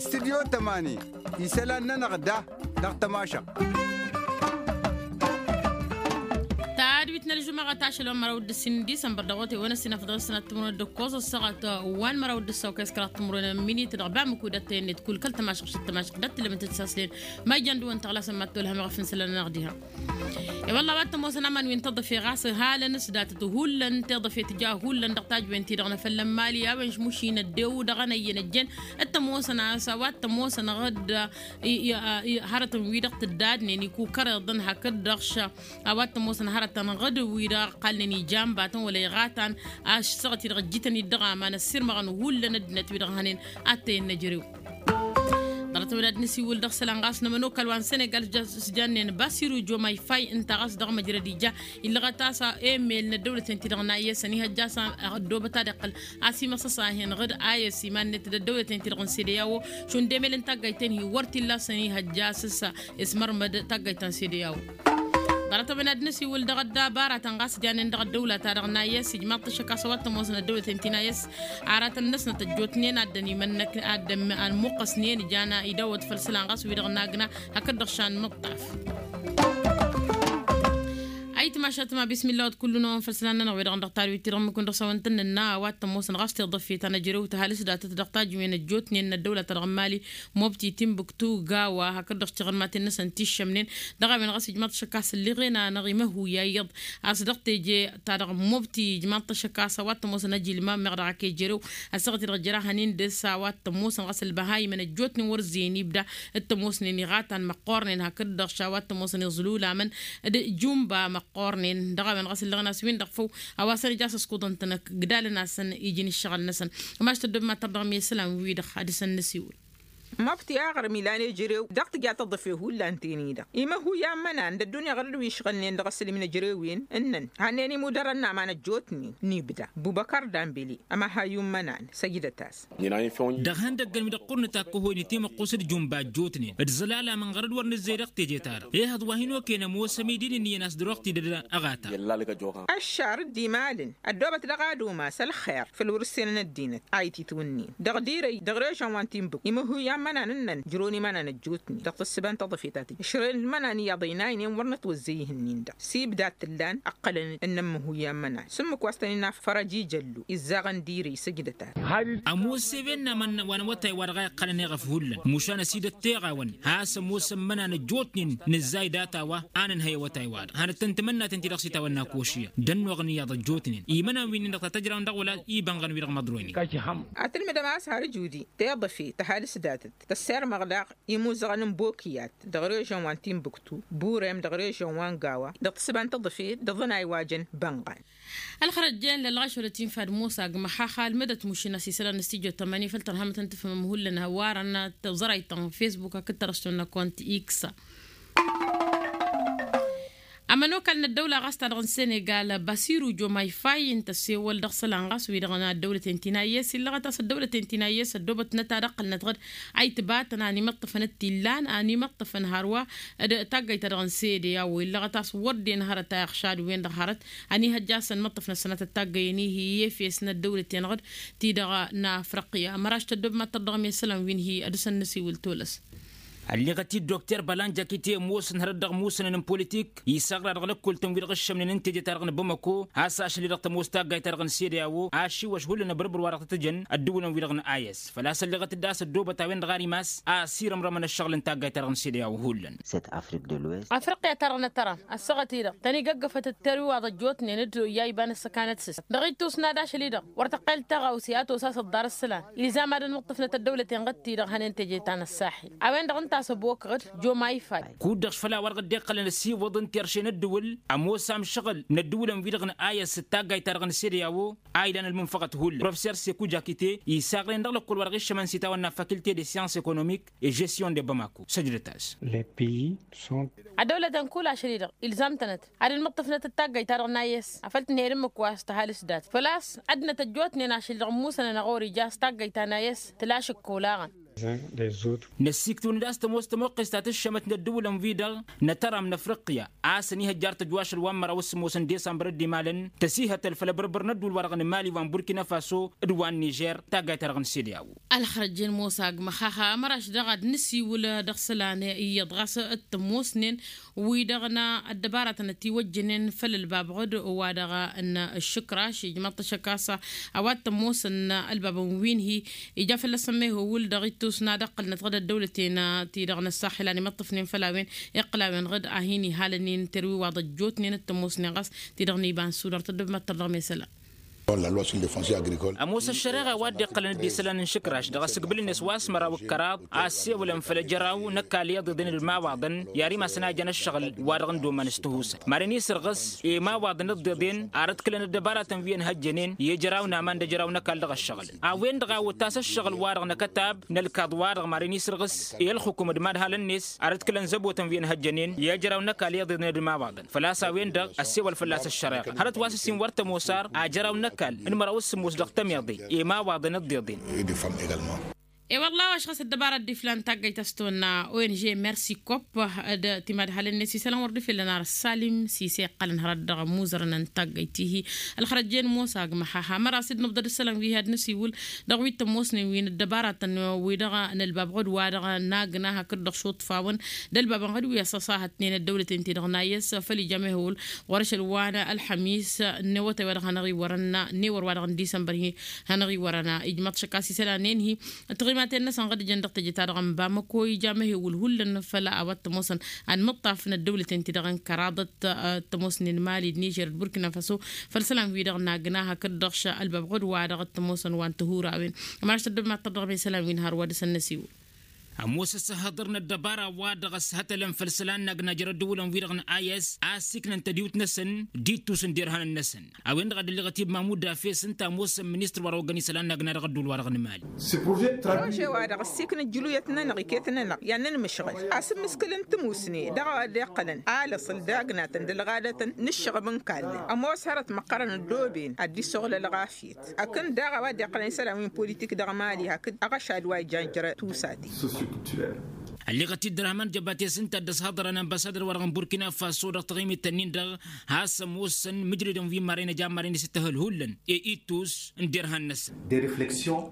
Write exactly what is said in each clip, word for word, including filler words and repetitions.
Studyo tămani isălan-nănăɣ da dăɣ-tămašăɣt. Tadwit n-ălžumăɣăt ašăl wa n-măraw d-ǝssin n-disămbăr dăɣ-otay wa n-ăssin afăḍăn sănat timǝrwen d-ǝkkoẓ ăssaɣăt wa n-măraw d-ǝssaw kăy-s kăraḍ timǝrwen n-minit dăɣ-bamǝkud ăttăyăn-net kull kăl-tămašăɣt šăt tămašăɣt d-ăttǝlămăt d-saslen. Ma ijăn dăɣ-wăn tăɣlasăn ma t-tolhăm iɣăf n-isălan-nănăɣ diha. E-wălla a-wa t-ămoosăn aman wi n-tiḍăfe ɣas halăn s-datăt hullan tiḍăfe tǝja hullan dăɣ-tajwen-ti-dăɣ n-afăl n-imali a-wen š-mušin ăddew dăɣ-anăyyăn ăjjeen. T-ămoosăn a-s a-wa t-ămoosăn ɣǝd i- i- i- hărătăn-wi-dăɣ tǝddadnen ikukăreḍăn hakd-dăɣ š-a-wa t-ămoosăn hărătăn ɣǝd-wi-dăɣ ăqqalnen ija n-batăn wăla iɣatan. Ašăɣăt-i-dăɣ ǝjjǝtăn-dd dăɣ-aman ăssirmăɣăn hullan ăddinăt-wi-dăɣ hănen. Ad-tăyăn n-ejărew ḍarăt-ăwăd ad-nǝsiwǝl dăɣ-isălan ɣas n-ămănokal wa n-senegal s-jannen basiru jomay fay ǝnta ɣas dăɣ-măjrăd ija. Illăɣăt a-s emel n-ăddăwlăten-ti-dăɣ n-ayy s-ănihăjja a-s ăddoobăt ad-iqqăl a-s imăsăs a hin-ɣǝd ayy s-iman-net d-ăddăwlăten-ti-dăɣ n-sede i-a-wo šund emel n-taggayt-en-hi wăr t-illa a-s ănihăjja a-s s-ismărmăd taggayt ta n-sede i-a-wo. Ḍarăt-ăwăd ad-nǝsiwǝl dăɣ-ăddăbara ta n-ɣas janen dăɣ-ăddăwla-ta-dăɣ n-ayy s-ijmaḍ-t ašăk a-s a-wa t-ămoosăn ăddăwlăten-ti n-ayy s-aratăn-năsnăt ăjjootnen ad-dd-ănimănnăk ad-dd-ămmăqqăsnen ija n-idawăt făll-isălan ɣas wi-dăɣ n-agna hakd-dăɣ šan mǝṭṭaf. Ayǝtmašat ma bismilla wăt kull-năwăn făll-isălan-nănăɣ wi-dăɣ n-dăɣ-tadwit-ti-dăɣ ǝmmǝk-win-dăɣ s-a-wăn tăn-nănna a-wa t-ămoosăn ɣas tiḍăfe ta n-ejărew tăhalǝs datăt dăɣ-tajǝwen ăjjootnen n-ăddăwla-ta-dăɣ n-mali. Mobti timbuktu gawa hakd-dăɣ tiɣǝrmaten-năsăn tiššămnen dăɣ-a-wen ɣas ijmaḍ-t ašăk a-s ǝlleɣen-anăɣ imăhuya iyyăḍ a-s dăɣ-teje ta dăɣ-mobti ijmaḍ-t ašăk a-s a-wa t-ămoosăn ajilmam meɣ dăɣ-ak ejărew. Ăssaɣăt-i-dăɣ jăra hănen dăɣ-s a-wa t-ămoosăn ɣas ălbăhayimăn ăjjootnen wăr ǝzzeyăn ibda t-ămoosnen iɣatan măqqoornen hakd-dăɣ š-a-wa t-ămoosăn iẓlulamăn d-jumba măqqoornen dăɣ-a-wen ɣas ǝlleɣen a-s win-dăɣ făw. A-wa s-ănǝj a-s ăskuḍăn-tăn ǝgdalăn-asăn iji n-ǝššăɣǝl-năsăn. Ămaš tăddob mad-tărdăɣ mi isălan-wi-dăɣ ad-dăr-săn nǝsiwǝl. Măbti aɣrǝm ilan ejărew dăɣ-tǝja tăḍăfe hullan teni-dăɣ imăhuyan imănan d-ăddunya ɣărăd wi ǝšɣǝlnen dăɣ-asǝlǝm n-ejărewen ǝnnăn hannăyăn imudărăn n-aman ăjjootnen n-ibda bubăkăr dambele. Ămăhayyu n-imănan săjdăt-as. Dăɣ-ihăndăggăn wi-dăɣ ɣur-nǝtakk ohoni timăqqus d-jumba ăjjootnen d-iẓǝlalamăn ɣărăd wăr nǝzzey dăɣ-teje-ta-dăɣ ehăḍ wa hin-oken ămoos ămidin ǝnniyăn a-s dăr-oɣ tidăd ăɣata. Ăššar dd-imalăn ăddoobăt dăɣ-ad-umas ălxer făll-wăr-ǝssenăn ăddinăt a ititwǝnnin dăɣ-dirăy dăɣ-režăn wa n-tinbǝk imăhuyan imănan ǝnnăn jrun imănan ăjjootnen dăɣ-tǝssǝba n-taḍăfet ta tǝjj ǝšrăyăn imănan iyyăḍ ăynaynen wăr nătwăzzăy ihǝnnin-dăɣ s-ibda t-ǝllan ǝqqălăn ǝnnăn imăhuyan imănan s-ǝmmǝk wa s-tăn-innă fărăj ijăllu izzaɣăn dirăy săjdăt-as. Ămoos ewen n-aman wa n-awătay wa dăɣ-a iqqălăn eɣăf hullan mušan ăsidăt teɣawăn has-ămoosăn imănan ăjjootnen nǝzzay data-wa a nǝnhăy awătay-wa-dăɣ hanăt-tăn-tǝmănnaten-ti-dăɣ s-itawănna košiyăn d-ănnuɣăn iyyăḍ ăjjootnen imănan wi-nin-dăɣ ta tăjrawăn dăɣ-wăla ibănɣăn wi-dăɣ măḍroynen. Atǝlmǝdăm a-s har ǝjudi teḍăfe tăhalǝs datăt tăssirmăɣ daɣ imuzăɣăn n-bokiyat dăɣ-režăn wa n-tinbuktu burem dăɣ-režăn wa n-gawa dăɣ-tǝssǝba n-tăḍăfe dăɣ-iḍăn a iwajăn bănɣan. Ălxărăt jen lălɣaš wăla tinfad musa agmăx xaxa ălmădăt mušin a-s isălan n-stijo tămani făll-tărhamăt n-tǝfhǝmăm hullan hăwarăn tăẓrăyt n-fesbuk hakd tărăston n-akont x. Ămănokal n-ăddăwla ɣas ta-dăɣ n-senegal basiru jomay fay ǝnta ăssewăl dăɣ-isălan ɣas wi-dăɣ n-ăddăwlăten ti n-ayy s-illăɣăt a-s ăddăwlăten ti n-ayy s-ăddoobătnăt ad-ăqqălnăt ɣǝd a itbatăn a n-imǝṭṭăfăn d-t-illan a n-imǝṭṭăfăn hărwa d-taggăyt-ta-dăɣ n-sede i-a-wa illăɣăt a-s wăr dd-en hărăt a iɣšad-wen-dăɣ hărăt. Ănihăjja a-s ănmăṭṭăfnăt sănatăt taggăyăn-i hi-efes n-ăddăwlăten ɣǝd ti-dăɣ n-afriqya măraš tăddob mad-tărdăɣ mi isălan wi n-hi ad-dăr-săn nǝsiwǝl tolăs. Ălleɣăt-dd dokter bălanjak ite ămoosăn hărăt dăɣ-imusănăn n-politik isăɣra dăɣ-lăkkoltăn wi-dăɣ ǝššămnen n-teje-ta-dăɣ n-bamako has-ašăl-i-dăɣ tămoos taggayt-ta-dăɣ n-sede-awo ašiwăš hullan ăbărbăr wa dăɣ-tăt-ǝjăn ăddǝwǝlăn wi-dăɣ n-ayǝs făl-a-s ălleɣăt-dd a-s ăddoobăt a-wen-dăɣ armas a ăsirămrămăn ăššăɣǝl n-taggayt-ta-dăɣ n-sede-awo hullan. Afriqya ta dăɣ-nătăra ăssaɣăt-i-dăɣ tăn-igăggăfăt d-terwiwaḍ ăjjootnen d-oyya iba n-ǝssăkanăt s-s dăɣ-ittus n-ad-ašăl-i-dăɣ wăr tăqqel tăɣawse a tosa s-ăḍḍar ǝssǝlan ilzam ad-ănmǝṭṭăfnăt ăddăwlăten ɣǝd-ti-dăɣ hănen teje-ta n-ăssaḥil a-wen-dăɣ ǝnta a-s ăbok ɣǝd. Joma ifad. Kud-dăɣ făl-a-wa dăɣ-dd-iqqălăn ăsiwăḍ n-terše n-ăddǝwǝl ămoos amšăɣǝl n-ăddǝwǝlăn-wi-dăɣ n-ayăs d-taggayt-ta-dăɣ n-sede-awo a ilan ălmunfăɣăt hullan professer seku jakite isaɣren dăɣ-lăkkol wa dăɣ-iššămăn s-itawănna faculté de science économique et gestion de bamako săjdăt-as. Ăddăwlăten kull ašăl-i-dăɣ ilzam-tănăt ad-ănmǝṭṭǝfnăt d-taggăyt-ta-dăɣ n-ayǝs afăl tǝnhăyăd ǝmmǝk wa s-tăhalǝs dat făl-a-s ăddinăt ăjjootnen ašăl-i-dăɣ ǝmmusănăn ăɣori ja s-taggăyt ta n-ayǝs tǝlašǝk kolaɣăn. Năssiiktǝwăn-dd a-s tămoos tămoqqes ta tǝššămăt n-ăddǝwǝlăn-wi-dăɣ n-atăram n-afriqya a-s ănihăjjar tăjwašăl wa n-măraw s-sǝmmos n-disămbăr ăddimalăn tăsihătăl făll-abărbăr n-ădduul-wa-dăɣ n-mali wa n-burkina faso d-wa n-nižer taggayt-ta-dăɣ n-sede a-wen. Ălxărăjjen mosa agmăxaxa măraš daɣ ad-nǝsiwǝl dăɣ-isălan iyyăḍ ɣas t-ămoosnen wi-dăɣ n-ăddăbaratăn ătiwăjjănen făll-ălbabɣăd wa-dăɣ n-ǝššǝkraš ijmăḍ-t ašăk a-s a-wa t-ămoosăn ălbabăn wi n-hi ija fălla-săn mehewǝl dăɣ-ittus n-ad-ăqqălnăt ɣǝd ăddăwlăten ti-dăɣ n-ăssaxel a n-imǝṭṭǝfnen făll-a-wen iqqǝl a-wen ɣǝd a hin-ihalănen terwi wa ḍăjjootnen t-ămoosnen ɣas ti-dăɣ n-iba n-sudar tăddăbmăttăr dăɣ-mesăla. Ămoos ăššăreɣa wa dd-iqqălăn d-isălan n-išǝkraš dăɣ-asǝgbǝl-net wa s-măraw d-kăraḍ a ăssewălăn făll-ejăraw n-ăkall iyyăḍ iḍen d-imawaḍăn i-ad-imasăn a ijăn ăššăɣǝl wa-dăɣ n-dd-oman s-tihusăn maren isǝrɣǝs i-imawaḍăn dd-iḍen ar ǝdkǝlăn ăddăbaratăn wi ănhăjjănen i-ejăraw n-aman d-ejăraw n-ăkall dăɣ-ăššăɣǝl. A-wen-dăɣ a otas ăššăɣǝl-wa-dăɣ n-akătab n-ălkaḍ-wa-dăɣ maren isǝrɣǝs i-ălxǝkum d-imadhalăn-net ar ǝdkǝlăn zăbotăn wi ănhăjjănen i-ejăraw n-ăkall iyyăḍ iḍen d-imawaḍăn făl-a-s a-wen-dăɣ ăssewăl fălla-s ăššăreɣa hărăt wa s-ǝssin wăr tămoos ar ajăraw n-ăkall n-măraw s-sǝmmos dăɣ-tămiḍe i-imawaḍăn dd-iḍen. E-wălla a-wa š-ɣas ăddăbara dd-iflan taggayt a-s tăwănna ong mersi kopp d-timadhalăn-net isălan wăr dd-ifellăn ar ăssalim s-ise iqqălăn hărăt dăɣ-ămmuzărăn n-taggayt-ihi. Ălxărăjjen mosa agmăxaxa măra s-dd-nǝbḍăd isălan wi had-nǝsiwǝl dăɣ-wi t-ămoosnen wi n-ăddăbaratăn wi-dăɣ n-ălbabɣăd wa-dăɣ n-agna hakd-dăɣ šuṭṭfawăn d-ălbabănɣăd wi ăssăṣahătnen ăddăwlăten-ti-dăɣ n-ayǝs făll-ija mehewǝl ɣur-ašăl wa n-ălxămis n-ewătay wa dăɣ-hanăɣ-i wărăn n-ewăr wa dăɣ-n disămbăr-hi hanăɣ-i wărăn ijmăḍ šăkka s-isălan-en-hi. Tăɣimaten-năsăn ɣǝd jăn dăɣ-teje-ta-dăɣ n-bamăko ija mehewǝl hullan făll-a-wa t-ămoosăn ad-imǝṭṭaf n-ăddăwlăten-ti-dăɣ n-kăraḍăt t-ămoosnen mali d-nižer d-burkina faso făll-isălan-wi-dăɣ n-agna hakd-dăɣ š-ălbabɣăd wa dăɣ-t-ămoosăn wa n-tihurawen. Ămăraš tăddobem ad-tărdăɣ i-isălan-win har wa dăɣ-săn năsiwǝl. Ămoos ăssăhăḍăr n-ăddăbara wa dăɣ-ăshătălăn făll-isălan n-agna jer-ăddăwǝlăn-wi-dăɣ n-a i s a ăssiiknăn tădiwt-năsăn d-ittus n-derhanăn-năsăn. A-wen-dăɣ a dd-ălliɣăt ibmamu dafes ǝnta ămoosăn ministăr wa dăɣ-oggăn isălan n-agna dăɣ-ăddul wa dăɣ-nǝmali. Prože wa dăɣ-ăssiiknăt jǝluyăt-nănăɣ iket-nănăɣ i-ad-nănmǝšɣǝl a-s ǝmmǝskǝl n-timusne dăɣ-ad-iqqălăn alăṣăl d-agnatăn d-ălɣadătăn n-ǝššăɣăb n-kallăn ămoos hărăt măqqărăn ăddooben ad-dd-issoɣlăl ɣafyăt. Akǝn daɣ a-wa dd-iqqălăn isălan wi n-politik dăɣ-mali hakd aɣăšad wa ijan jere tusa-ti. Ălliɣăt-dd d-răhman jăbates ǝnta a dd-ăshăḍărăn ănbăsadăr-wa-dăɣ n-burkina faso dăɣ-taɣimit-ǝnnin-dăɣ has-ămoosăn mǝjrădăn wi n-marăynăj a n-marăynăj s-dd-tăhǝlhullăn i-ittus n-derhan-năsăn.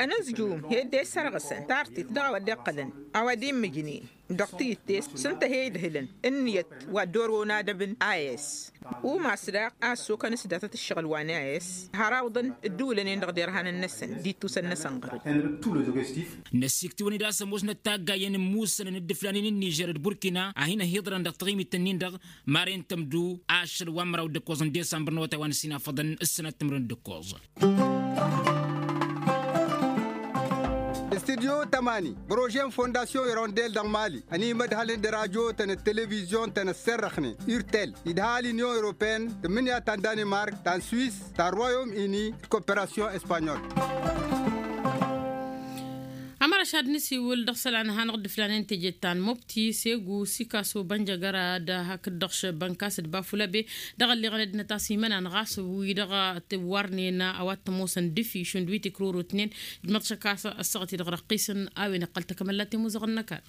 Ănǝzjum he-dd-e-sărɣǝsăn tartit dăɣ-a-wa dd-iqqălăn a-wa dd-immǝjnen dăɣ-tiyǝtte s-ǝnta he-idhǝlăn ǝnniyăt wa dd-orăwăn adăb n-a s. Umas daɣ a ăssokăn s-datăt ǝššăɣǝl wa n-a s har awǝḍăn ǝddǝwǝlăn-en-dăɣ derhanăn-năsăn d-ittusăn-năsăn ɣǝr-dd. Năssiiktǝwăn-dd a-s ămoosnăt taggayen n-imussănăn d-iflanen n-nižer d-burkina a hin-ăhiḍărăn dăɣ-taɣimit-ǝnnin-dăɣ maren tămdu ašăl wa n-măraw d-ǝkkoẓ n-disămbăr n-awătay wa n-ǝssin afăḍăn ǝssănat timǝrwen d-ǝkkoẓ. Studyo tămani bărože n-fondasyon irondel dăɣ-mali ănimădhălăn d-radyo-tăn d-televizyon-tăn ăssărrăxnen urtel idha l-inyon europeen tǝmmǝnǝya ta n-danimark ta n-swis ta n-royom ini d-koperasyon espanyol. Ămăra šad nǝsiwǝl dăɣ-isălan hanăɣ-dd-ǝflanen tejet ta n-mobti segu sikaso bănjăgăra d-hakd-dăɣ šăbbănkas d-bafulăbe dăɣ-ălliɣăn ăddinăt a-s imănan ɣas wi-dăɣ t-warnen a-wa t-ămoosăn d-ifi šund wi tikrurutnen ijmăḍ šăkk a-s ăssaɣăt-i-dăɣ răqqisăn a-wen iqqăl takămăllat i-muzăɣăn n-ăkall.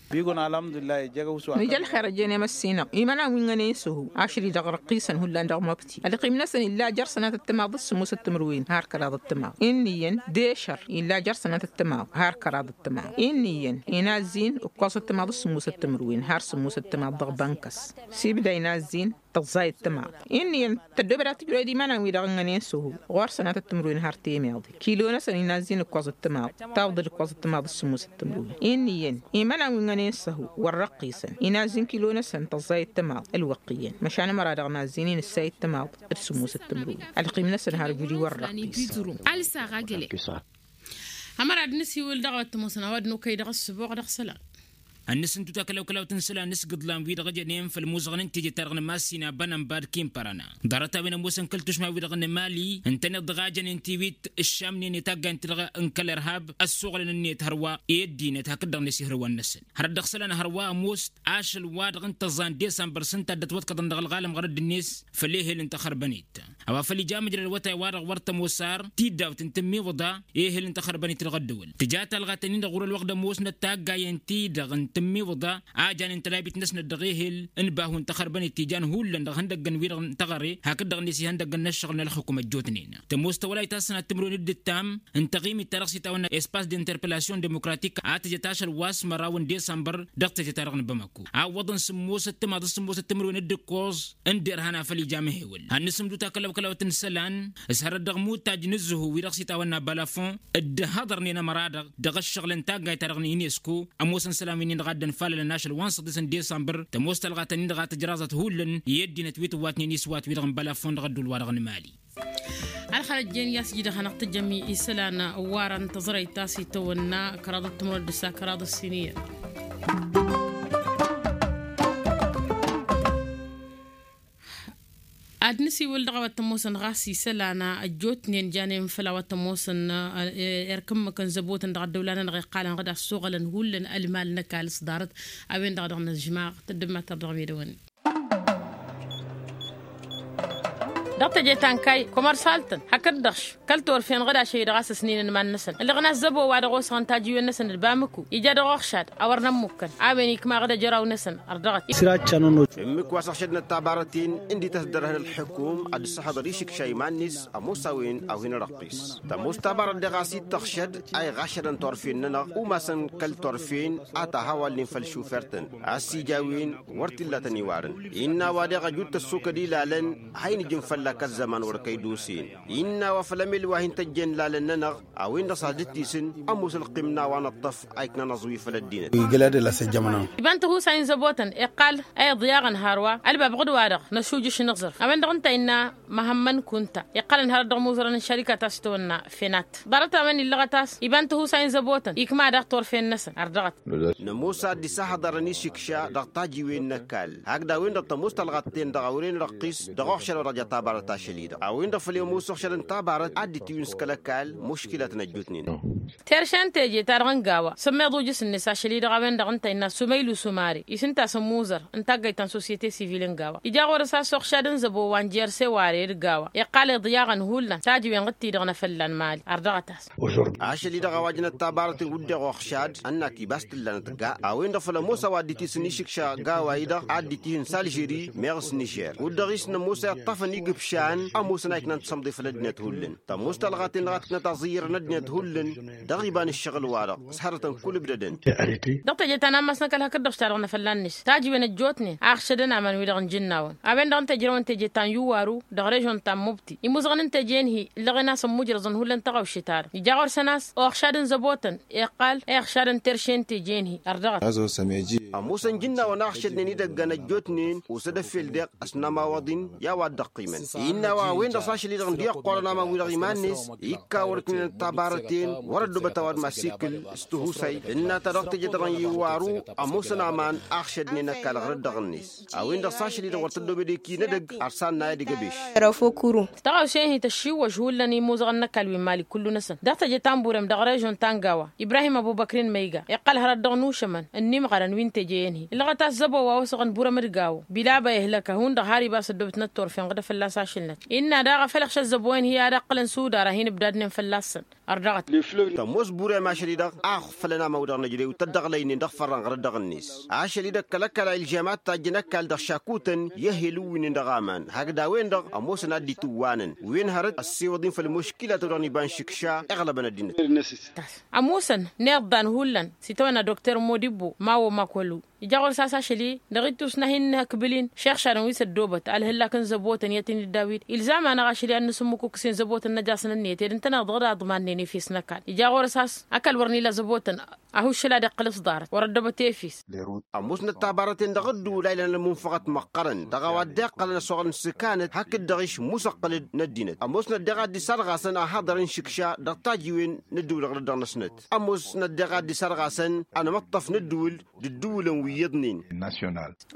Nǝj ălxer ăjjeen i-măssinăɣ imănan wi n-ănen s-ăhu ašăl-i-dăɣ răqqisăn hullan dăɣ-mobti ălqim-năsăn illa jer-sănatăt timaḍ d-sǝmmosăt timǝrwen har kăraḍăt timaḍ. Inn'-iyyăn d-ešăr illa jer-sănatăt timaḍ har kăraḍăt timaḍ. Inn'-iyyăn inazzin ǝkkoẓăt timaḍ d-sǝmmosăt timǝrwen har sǝmmosăt timaḍ dăɣ-bănkăs. S-ibda inazzin tăẓẓayăt timaḍ. Inn'-iyyăn tăddoobăd ad-tǝjrăwăd iman-an-wi-dăɣ ǝngănen s-ăhu ɣur-sănatăt timǝrwen har temeḍe kilo-năsăn inazzin ǝkkoẓăt timaḍ tawḍăd ǝkkoẓăt timaḍ d-sǝmmosăt timǝrwen. Inn'-iyyăn iman-an-wi n-ănen s-ăhu wăr-răqqisăn inazzin kilo-năsăn tăẓẓayăt timaḍ ălwăqq iyyăn măšan ămăra dăɣ-inazzin-in ǝssayăt timaḍ d-sǝmmosăt timǝrwen. Ălqim-năsăn har ǝjud i-wăr-răqqis. Ălsa ɣagăle. Ămăra ad-nǝsiwǝl dăɣ-a wa t-ămoosăn a-wa dd-nokăy dăɣ-ăssǝboɣ dăɣ-isălan. Ănnăsǝntu takălawkălawt n-isălan n-asgǝḍlan-wi-dăɣ ăjănen făll-imuzăɣăn n-teje-ta-dăɣ n-massina bănănbad kinpărăna. Ḍarăt-a-wen ămoosăn kăl-tušma-wi-dăɣ n-emali ǝntăneḍ dăɣ-ajăn n-tiwit ǝššamnen i-taggayăn-ti-dăɣ n-kăl-irhab ăssuɣǝlăn-net hărwa i-ăddinăt hakd-dăɣ-net ihǝrwăn-năsăn. Hărăt dăɣ-isălan hărwa ămoos ašăl wa-dăɣ n-tăẓẓa n-disămbăr s-ǝnta a dd-ătwăḍkăḍăn dăɣ-ălɣalăm ɣărădd-net făll-ehel n-taxărbănit. A-wa făl ija măjrăd awătay-wa-dăɣ wăr tămoos ar tiddawt n-tǝmmiwǝḍa ehel n-taxărbănit dăɣ-ăddăwăl tǝja talɣat-nin-dăɣ ɣur-ălwăqq d-ămoosnăt taggayen-ti-dăɣ n-tǝmmiwǝḍa a janen tălabit-năsnăt dăɣ-ehel n-bahu n-taxărbănit ti jan hullan dăɣ-ihăndăggăn-wi-dăɣ n-taɣăre hakd-dăɣ-net ihăndăggăn n-ăššăɣǝl n-ălxukum ăjjootnen. Tămoos tawălayt a-s tănat timǝrwen d-ǝttam n-taɣimit-ta-dăɣ s-itawănna espas d-interpellasyon demokratik a tǝjăt ašăl wa s-măraw n-disămbăr dăɣ-teje-ta-dăɣ n-bamako a ǝwwăḍăn sǝmmosăt timaḍ s-sǝmmosăt timǝrwen d-ǝkkoẓ n-derhan a făl ija măhewăl hannăsǝmdut akălawkălawt n-isălan s-hărăt dăɣ-imutaj n-ǝzzǝhu-wi-dăɣ s-itawănna balafon dd-hăḍărnen ămăra-dăɣ dăɣ-ăššăɣǝl n-taggayt-ta-dăɣ n-inesko. Ămoosăn isălan wi-nin-dăɣ a dd-ănfalălăn ašăl wa n-săḍis n-disămbăr tămoos talɣat-nin-dăɣ a tǝjraẓăt hullan i-ăddinăt wi tǝwwatnen iswat-wi-dăɣ n-balafon dăɣ-ădduul-wa-dăɣ n-mali. Ălxărăt jen i-a-s iji dăɣ-hanăɣ-tǝjjăm isălan ăwwarăn tăẓrăyt ta s-itawănna kăraḍăt timǝrwen d-ǝssa kăraḍăt siniyyăn. Ad-nǝsiwǝl dăɣ-a-wa t-ămoosăn ɣas isălan ăjjootnen janen făll-a-wa t-ămoosăn erk ǝmmǝk n-zăbotăn dăɣ-ăddăwla-nănăɣ iqqalăn ɣǝd a ăssoɣălăn hullan ălmal n-ăkall s-ḍarăt. A-wen-dăɣ dăɣ-năžmaɣ tăddǝmmatăr dăɣ-medăwăn. Dăɣ-teje ta n-kayy komărsal-tăn hakd-dăɣ š kăl-torfen ɣǝd ašăl-i-dăɣ a-s ăsninăn iman-năsăn ǝlleɣ n-azzăbo wa dăɣ-osăɣăn tajǝwen-năsăn d-bamǝku ija dăɣ-oxšad a wăr nămmukkăn. A-wen ikma ɣǝd ajăraw-năsăn ărdăɣăt. Săr-a ǝccăn ănnuj. Ǝmmǝk wa s-ăɣšădnăt tabarăt-in ǝndi tăsdărhăn ălḥǝkum ad-dd-săhăḍăr išǝkša iman-net. Ămoos a-wen a-wen răqqis tămoos tabarăt deɣ a-s dd-tăɣšăd a iɣašădăn torfen-nănăɣ umasăn kăl-torfen a tahawalnen făll-šufer-tăn a-s ija a-wen wăr t-illa a tăn-iwarăn. Innă a-wa deɣ ăjut tăssokăd ilalăn a hin-ǝjǝn fălla-k ăzzăman wăr kăy-dd-osen. Innă a-wa făll-emel wa hin-tăjjen ilalăn-nănăɣ a-wen-dăɣ s-ad-dd-tisǝn ămoos ălqim n-a-wa nǝṭṭăf a iknăn aẓwi făll-ăddinăt. Iba n-tihusay n-zăbotăn iqqal a iḍyaɣăn hărwa ălbab ɣǝd-wa-dăɣ năšujǝš n-iẓrǝf a-wen-dăɣ ǝnta innă măhămmăn kunta iqqălăn hărăt dăɣ-imuzărăn n-šărika ta s-tăwănna fenat. Ḍarăt-a-wen illăɣăt a-s iba n-tihusay n-zăbotăn ikma daɣ turfen-năsăn ărdăɣăt. Nămoos ad-dd-isahăḍărăn išǝkša dăɣ-tajiwen n-ăkall hakd a-wen-dăɣ tămoos talɣat-ten-dăɣ a wăren răqqis dăɣ-oxšăd wa dăɣ-ja tabarăt ašăl-i-dăɣ a-wen-dăɣ făl i-ămoos oxšăd n-tabarăt ad-dd-tiwǝn s-kăl-ăkall muškilăt n-ăjjootnen. Terše n-teje-ta-dăɣ n-gawa sămmeḍ ujǝs-net ašăl-i-dăɣ a-wen-dăɣ ǝnta innă sumăylu sumare-i s-ǝnta a-s ămmuzăr n-taggayt ta n-sosyete sivil n-gawa ija ɣur-s a-s oxšad n-zăbo wa n-jerse ware d-gawa iqqal iḍyaɣăn hullan tajǝwen ɣǝd-ti-dăɣ n-afălla n-mali ărdăɣăt-as. Ašăl-i-dăɣ a-wa jănăt tabarăt n-wǝdden oxšad ănnat ibas t-ǝllanăt ga a-wen-dăɣ făl ămoos a-wa dd-itisǝn išǝkša gawa-i-dăɣ ad-dd-itihǝn s-alžeri meɣ s-nižer kud-dăɣ-i s-nămoos a iṭṭăfăn igǝpšan ămoosăn a iknăn tiṣămḍe făll-ăddinăt hullan. Tămoos talɣat-en-dăɣ a tiknăt aẓǝyyăr n-ăddinăt hullan dăɣ-iba n-ǝššăɣǝl-wa-dăɣ s-hărătăn kull ǝbdădăn. Dăɣ-teje ta n-ammas n-ăkall hakd-dăɣ šadăɣ n-afălla-net tajǝwen ăjjootnen a ăɣšădăn aman-wi-dăɣ n-ijǝnnawăn a-wen-dăɣ ǝnta ijrăwăn teje ta n-iwwaru dăɣ-režon ta n-mubti imuzăɣăn n-teje n-hi ǝllăɣen a-s ămmujrăẓăn hullan tăɣawše-ta-dăɣ ija ɣur-săn a-s oxšad n-zăbotăn iqqal a iɣšadăn terše n-teje n-hi ărdăɣăt. Ămoosăn ijǝnnawăn a ăɣšădnen idăggan ăjjootnen osăd ăffel deɣ ăsnamawăḍ-in i-a-wa dd-ăqqimăn innă a-wa a-wen-dăɣ s-ašăl-i-dăɣ ǝndi ăqqoorăn aman-wi-dăɣ iman-net ikka wăr ǝknenăt tabarăt-en wăr-ăddoobăt a-wa d-masikǝl s-tihusay ǝnna-ta dăɣ-teje-ta-dăɣ n-iwwaru. Ămoosăn aman a ăɣšădnen ăkall ɣur-ăddăɣ-net a-wen-dăɣ s-ašăl-i-dăɣ wăr tăddoobed eki n-edăgg ărsannay ad-igăbeš. Tăɣawse-hi tăššiwwăž hullan imuzăɣăn n-ăkall wi n-mali kullu-năsăn dăɣ-teje ta n-burem dăɣ-režon ta n-gawa ibrahim ăbubăkrin măyga iqqăl hărăt dăɣ-nušămăn ănnimɣărăn wi n-teje-en-hi ǝllăɣăt a-s zăbo wa osăɣăn burem d-gawo bilaba ihlăk a hundăɣ har ibas ăddoobătnăt turfen ɣǝdă fălla-s ašǝlnăt. Innă daɣ a făl iɣšăt zăbo-en-hi ad-ăqqǝlăn sudar a hin-ǝbdadnen fălla-săn. Ărdăɣăt. Tămoos burem ašăl-i-dăɣ a ăɣfălăn aman-wi-dăɣ năjrăy tăddăɣlăynen dăɣ-fărrăn ɣăr ăddăɣ-net ašăl-i-dăɣ kăl-ăkall a ilžam ad-tajjăn ăkall dăɣ-šakutăn i-ehel ǝwwǝynen dăɣ-aman hakd a-wen-dăɣ ămoosăn ad-dd-itǝwwanăn wen hărăt ăssewăḍ-in făll-muškilat-wi-dăɣ n-iba n-išǝkša iɣlăbăn ăddinăt. Tasăn ămoosăn n-iḍḍan hullan s-itawănna dokter modibo mawo makolu ija ɣur-s a-s ašăl-i dăɣ-ittus n-ad-hin-nǝhǝkbǝl-in šeɣšadăn wi s-ăddoobăt alhǝllak n-zăbotăn i-ad-t-in-dd-awid ilzam-anăɣ ašăl-i ad-nǝsǝmmǝkuk s-in zăbotăn n-ăjaẓ n-ǝnniyăt ed ǝntăneḍ-dăɣ d-aḍman-nen efes n-ăkall. jaɣ-orăs a-s ăkall wăr n-ila zăbotăn. Ahuššǝl ad-iqqǝl s-ḍarăt wăr-ăddăbăt efis. Ămoosnăt tabarăten dăɣ-ădduul a ilan ălmunfăɣăt măqqărăn dăɣ-a-wa dd-iqqălăn ăsoɣălăn s-ikanăt hakd-dăɣ išmusăqqǝl-dd n-ăddinăt. Ămoosnăt daɣ a dd-isarɣasăn ahăḍăr n-išǝkša dăɣ-tajiwen n-ădduul ɣǝrăt dăɣ-năsnăt. Ămoosnăt daɣ a dd-isarɣasăn anămăṭṭăf n-ădduul d-ădduulăn wi iyyăḍnen.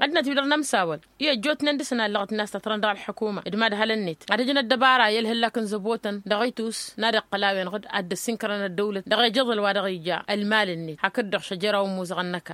Ăddinăt-wi-dăɣ n-ămsawăl i-ăjjootnen dăɣ-săn allăɣăt n-a-s tătrăn dăɣ-ălḥukuma d-mad-hălăn-net ad-ăj n-ăddăbara i-ălhǝllak n-zăbotăn dăɣ-itus n-ad-iqqăl a-wen-dăɣ ad-dd-ăssinkărăn ăddăwlăt dăɣ-ejăḍăl wa dăɣ-ija ălmal-net hakd-dăɣ šăjăraw n-imuzăɣăn n-ăkall.